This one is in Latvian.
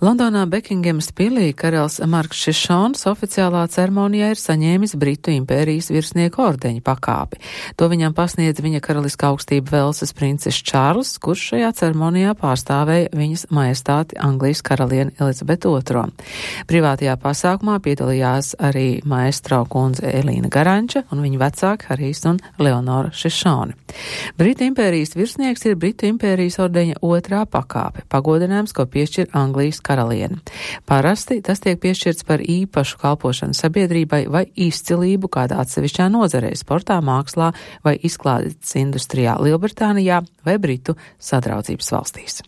Londonā Bekingemas pilī karalis Marks Šišons oficiālā ceremonijā ir saņēmis Britu impērijas virsnieku ordeņa pakāpi. To viņam pasniedz viņa karaliskā augstība Velsas princis Čārls, kurš šajā ceremonijā pārstāvēja viņas majestāti Anglijas karalieni Elizabetu II. Privātajā pasākumā piedalījās arī maestro kundze Elīna Garanča un viņa vecāki Harijs un Leonora Šišoni. Britu impērijas virsnieks ir Britu impērijas ordeņa otrā pakāpe, pagodinājums, ko piešķir Anglijas karalieni. Parasti tas tiek piešķirts par īpašu kalpošanu sabiedrībai vai izcilību kādā atsevišķā nozarē, sportā, mākslā vai izklaides industrijā Lielbritānijā vai Britu Sadraudzības valstīs.